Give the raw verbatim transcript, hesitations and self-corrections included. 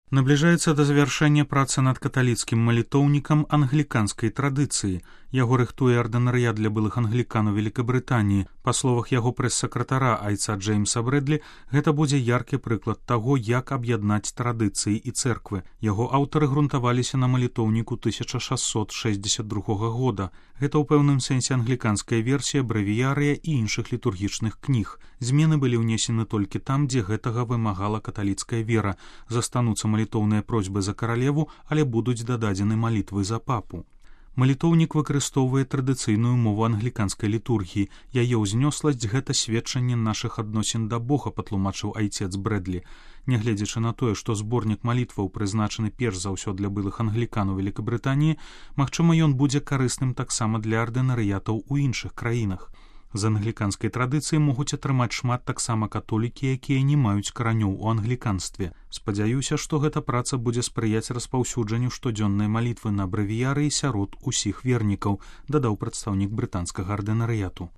Набліжаецца да завяршэння працы над каталіцкім малітоўнікам англіканскай традыцыі. Яго рыхтуе ардынарыят для былых англіканаў Великабрытаніі. Па словах яго прэс-сакратара айца Джеймса Брэдлі, гэта будзе яркі прыклад таго, як аб'яднаць традыцыі і цэрквы. Яго аўтары грунтаваліся на малітоўніку тысяча шасцьсот шэсцьдзесят другога года. Гэта ў пэўным сэнсе англіканская версія брэвіярыя і іншых літургічных кніг. Змены былі ўнесены толькі там, дзе гэтага вымагала каталіцкая вера. Застануцца малітоўныя просьбы за каралеву, але будуць дададзены малітвы за папу. Малітоўнік выкарыстоўвае традыцыйную мову англіканскай літургіі. Яе ўзнёсласць — гэта сведчанне нашых адносін да Бога, патлумачыў айцец Брэдлі. Нягледзячы на тое, што зборнік малітваў прызначаны перш за ўсё для былых англіканаў Великабрытаніі, магчыма, ён будзе карысным таксама для ардынарыятаў у іншых краінах. З англіканскай традыцыі могуць атрымаць шмат таксама католікі, якія не маюць каранёў у англіканстве. Спадзяюся, што гэта праца будзе спрыяць распаўсюджанню штодзённай малітвы на брэвіярыі сярод усіх вернікаў, дадаў прадстаўнік брытанскага ардынарыяту.